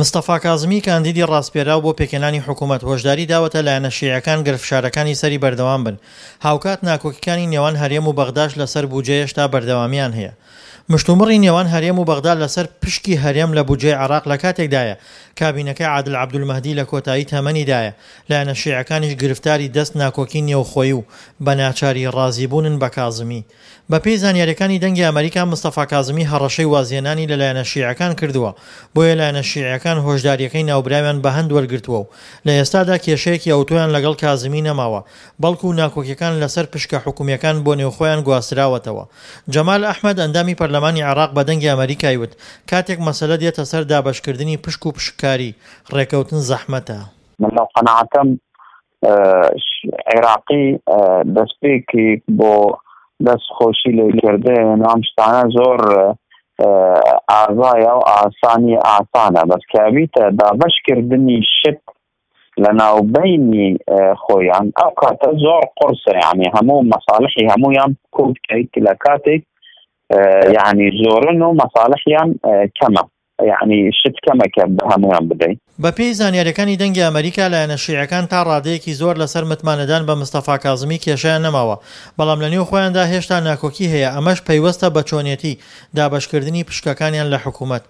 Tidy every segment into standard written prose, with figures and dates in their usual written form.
مستەفا کازمی کاندیدی ڕاسپێراو بۆ پێکهێنانی حکوومەت، هۆشداری داوەتە لایەنە شیعەکان گەر فشارەکانی سەری بەردەوام بن، هاوکات ناکۆکیکانی نێوان هەرێم و بەغداش لەسەر بوجە هێشتا بەردەوامییان هەیە. مشتومڕی نێوان هەرێم و بەغدا لەسەر پشکی هەرێم لە بودجەی عێراق لە کاتێکدایە، کابینەکەی عادل عەبدولمەهدی لە کۆتایی تەمەنیدایە، لایەنە شیعەکانیش گرفتاری دەست ناکۆکی نێوخۆیی و بە ناچاری ڕازیبوونن بە کازمی. بەپێی زانیاریەکانی دەنگی ئەمەریکا مستەفا کازمی هەڕەشەی وازهێنانی لە لایەنە شیعەکان کردووە، بۆیە لایەنە شیعیەکان هۆشداریەکەی ناوبراویان بە هەند وەرگرتووە و لە ئێستادا کێشەیەکی ئەوتۆیان لەگەڵ کازمی نەماوە، بەڵکو ناکۆکیەکان لەسەر پشکە حکومیەکان بۆ نێوخۆیان گواستراوەتەوە. جەمال ئەحمەد ئەندامی پەرلەمانی عێراق بە دەنگی ئەمەریکای وت، کاتێک مەسەلە دێتە سەر دابەشکردنی پشک و پشککاری، ڕێکەوتن زەحمەتە. من لەو قەناعەتەم عێراقی دەستپێکی بۆ دەست خۆشی لێکردن و ئەم شتانە زۆر ئازایە و ئاسانی ئاسانە بەس کابیتە دابەشکردنی شت لە ناوبینی خۆیان ئەو کاتە زۆر قورسە یعنی هەموو مەساڵحی هەمویان کۆ بکەیت لە کاتێک یعنی زۆرن و مەساڵحیان کەمە یەعنی شت کەمە کە بە هەموویان بدەی. بەپێی زانیاریەکانی دەنگی ئەمەریکا لایەنە شیعەکان تا ڕادەیەکی زۆر لەسەر متمانەدان بە مستەفا کازمی کێشەیان نەماوە، بەڵام لەنێو خۆیاندا هێشتا ناکۆکی هەیە ئەمەش پەیوەستە بە چۆنێتی دابەشکردنی پشکەکانیان لە حکومەت.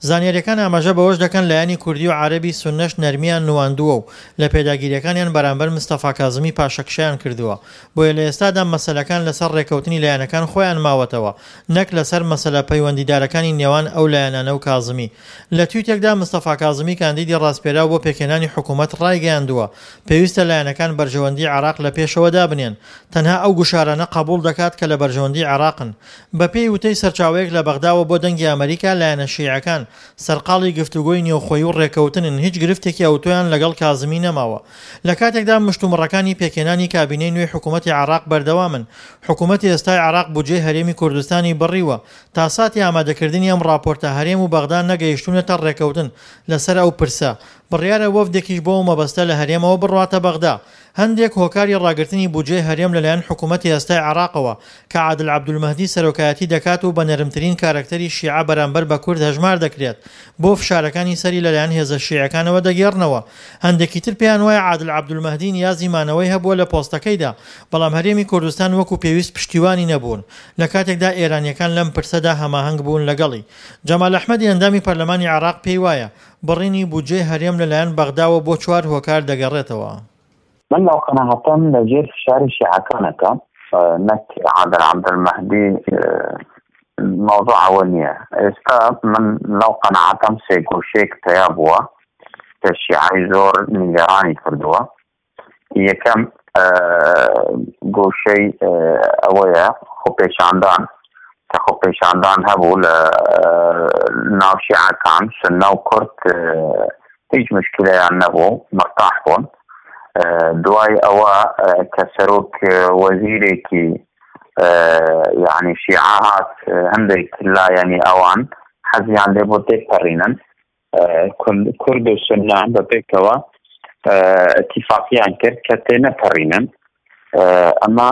زانیاریەکان ئاماژە بەوەش دەکەن لایەنی کوردی و عەرەبی سوننەش نەرمیان نواندووە و لە پێداگیریەکانیان بەرامبەر مستەفا کازمی پاشەکشەیان کردووە بۆیە لە ئێستادا مەسەلەکان لەسەر ڕێکەوتنی لایەنەکان خۆیان ماوەتەوە نەک لەسەر مەسەلە پەیوەندیدارەکانی نێوان ئەو لایەنانە و کازمی. لە تویتێکدا مستەفا کازمی کاندیدی ڕاسپێراو بۆ پێکهێنانی حکوومەت ڕایگەیاندووە، پێویستە لایەنەکان بەرژەوەندیی عێراق لە پێشەوە دابنێن، تەنها ئەو گوشارانە قەبووڵ دەکات کە لە بەرژەوەندیی عێراقن. بەپێی وتەی سەرچاوەیەک لە بەغداوە بۆ دەنگی ئەمەریکا، لایەنە شیعەکان سەرقاڵی گفتوگۆی نێوخۆیی و ڕێککەوتنن، هیچ گرفتێکی ئەوتۆیان لەگەڵ کازمی نەماوە. لە کاتێکدا مشتومڕەکانی پێکهێنانی کابینەی نوێی حکوومەتی عێراق بەردەوامن، حکومەتی ئێستای عێراق بودجەی هەرێمی کوردستانی بڕیوە، تا ساتی ئامادەکردنی ئەم ڕاپۆرتە هەرێم و بەغدا نەگەیشتوونەتە ڕێکەوتن لەسەر ئەو پرسە، بڕیارە وەفدێکیش بۆ ئەو مەبەستە لە هەرێمەوە بڕواتە بەغدا. هەندێک هۆکاری ڕاگرتنی بودجەی هەرێم لەلایەن حکومەتی ئێستای عێراقەوە کە عادل عەبدولمەهدی سەرۆکایەتی دەکات و بە نەرمترین کارەکتەری شیعە بەرامبەر بە کورد هەژمار دەکرێت بۆ فشارەکانی سەری لەلایەن هێزە شیعەکانەوە دەگێڕنەوە. هەندێکی تر پێیان وایە عادل عەبدولمەهدی نیازی مانەوەی هەبووە لە پۆستەکەیدا، بەڵام هەرێمی کوردستان وەکو پێویست پشتیوانی نەبوون، لە کاتێکدا ئێرانییەکان لەم پرسەدا هەماهەنگ بوون لەگەڵی. جەمال ئەحمەدی ئەندامی پەرلەمانی عێراق پێی وایە، بڕینی بودجەی هەرێم لەلایەن بەغداوە بۆ چوار هۆکار دەگەڕێتەوە. من لەو قەناعەتەم لە ژێر فشاری شیعەکانەکە نەک عادل عەبدولمەهدی مەوزوع ئەوە نییە ئێستا من لەو قەناعەتەم سێ گۆشەیەک پەیا بووە کە شیعەی زۆر نیگەرانی کردووە یەکەم گۆشەی ئەوەیە خۆپێشاندان کە خۆپێشاندان هەبوو لە ناو شیعەکان سنە و کورد هیچ مشکلەیان نەبوو مرتاح بوون دوای ئەوە کە سەرۆک وەزیرێکی یعنی شیعە هات هەندێک لایەنی ئەوان حەزیان لێ بۆ تێپەڕینن کورد و سنە بە پێکەوە اتفاقیان کرد کە تێنەپەڕینن ئەمە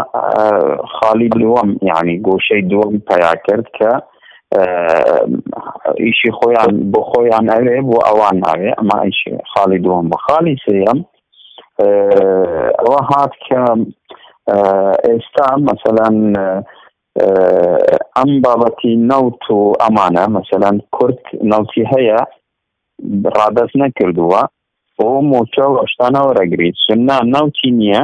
خاڵی دووەم یعنی گۆشەی دووەم پیا کرد کە ئیشی خۆیان بۆ خۆیان ئەوێ بۆ ئەوان ناوێ ئەمە ئیشی خاڵی دووەم بە خاڵی سێیەم ئەوە هات کە ئێستا مەسەلەن ئەم بابەتی نەوت و ئەمانە مەسەلەن کورد نەوتی هەیە ڕادەست نەکردووە و موچە و شتانە وەرەگریت سنە نەوتی نییە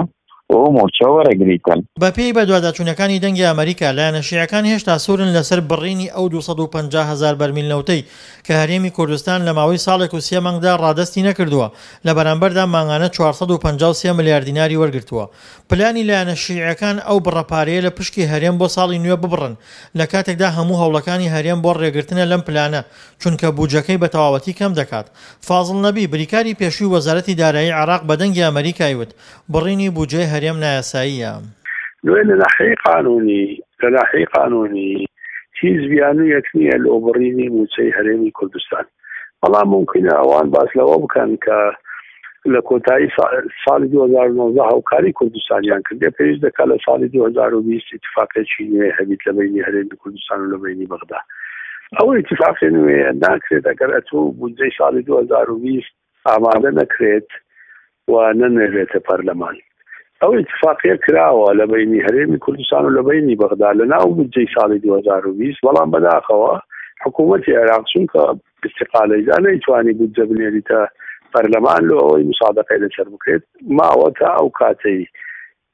و موچە وەرەگریتن. بەپێی بەدواداچوونەکانی دەنگی ئەمەریکا، لایەنە شیعەکان هێشتا سوورن لەسەر بڕینی ئەو 250 هەزار بەرمیل نەوتەی کە هەرێمی کوردستان لە ماوەی ساڵێک و سێ مانگدا ڕادەستی نەکردووە، لە بەرامبەردا مانگانە 453 ملیار دیناری وەرگرتووە. پلانی لایەنە شیعیەکان ئەو بڕە پارەیە لە پشکی هەرێم بۆ ساڵی نوێ ببڕن، لە کاتێکدا هەموو هەوڵەکانی هەرێم بۆ ڕێگرتنە لەم پلانە، چونکە بوجەکەی بە تەواوەتی کەم دەکات. فازڵ نەبی، بریکاری پێشووی وەزارەتی دارایی عێراق بە دەنگی ئەمەریکای وت، بڕینی بوجەی هەرێم نایاساییە. لۆیە لە ناحیەی قانونی لە ناحیەی قانونی هیچ بیانوویەک نییە لۆ بڕینی مووچەی هەرێمی کوردستان. بەڵام مومکینە ئەوان باس لەوە بکەن کە لە کۆتایی ساڵی 2019 هاوکاری کوردستانیان کردێ پێویست دەکات لە ساڵی 2020 اتفاقێکی نوێ هەبیت لە بینی هەرێمی کوردستان و لە بینی بەغدا. ئەو ئیتیفاقی نوێیە ناکرێت ئەگەر ئەتوو بودجەی ساڵی 2020 ئامادە نەکرێت و نەنێرێتە پەرلەمان. ئەو ئیتفاقیە کراوە لە بەینی هەرێمی کوردستان و لە بەینی بەغدا لە ناو بودجەی ساڵی 2020، بەڵام بەداخەوە حکوومەتی عێراق چونکە ئیستیقالەیدا نەیتوانی بودجە بنێریتە پەرلەمان لۆ ئەوەی مسادەقەی لەسەر بکرێت، ماوە تا ئەو کاتەی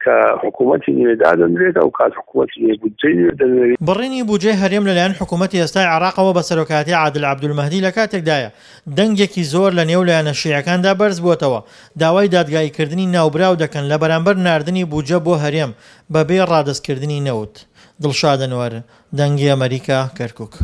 کە حکوومەتی نوێ دادەنرێت، ئەو کات حکوومەتی نوێ بودجەی نوێ دەنێرێت. بڕینی بودجەی هەرێم لەلایەن حکوومەتی ئێستای عێراقەوە بە سەرۆکایەتی عادل عەبدولمەهدی لە کاتێکدایە، دەنگێکی زۆر لە نێو لایەنە شیعەکاندا بەرزبووەتەوە، داوای دادگاییکردنی ناوبراو دەکەن لە بەرامبەر ناردنی بودجە بۆ هەرێم بەبێ ڕادەستکردنی نەوت. دڵشاد ئەنوەر، دەنگی ئەمەریکا، کەرکوک.